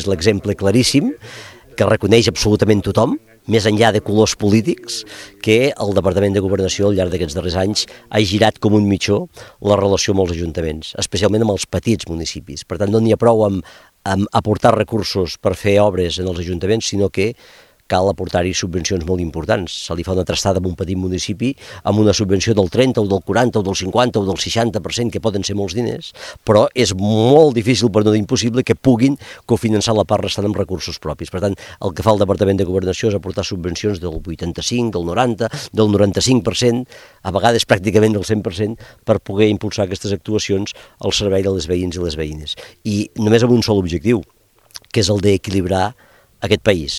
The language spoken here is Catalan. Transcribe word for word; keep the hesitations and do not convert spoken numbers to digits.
és l'exemple claríssim que reconeix absolutament tothom, més enllà de colors polítics, que el Departament de Governació al llarg d'aquests darrers anys ha girat com un mitjó la relació amb els ajuntaments, especialment amb els petits municipis. Per tant, no n'hi ha prou amb, amb aportar recursos per fer obres en els ajuntaments, sinó que cal aportar-hi subvencions molt importants. Se li fa una trastada a un petit municipi amb una subvenció del trenta o del quaranta o del cinquanta o del seixanta per cent, que poden ser molts diners, però és molt difícil, per no dir impossible, que puguin cofinançar la part restant amb recursos propis. Per tant, el que fa el Departament de Governació és aportar subvencions del vuitanta-cinc, del noranta, del noranta-cinc per cent, a vegades pràcticament del cent per cent, per poder impulsar aquestes actuacions al servei de les veïns i les veïnes. I només amb un sol objectiu, que és el d'equilibrar aquest país.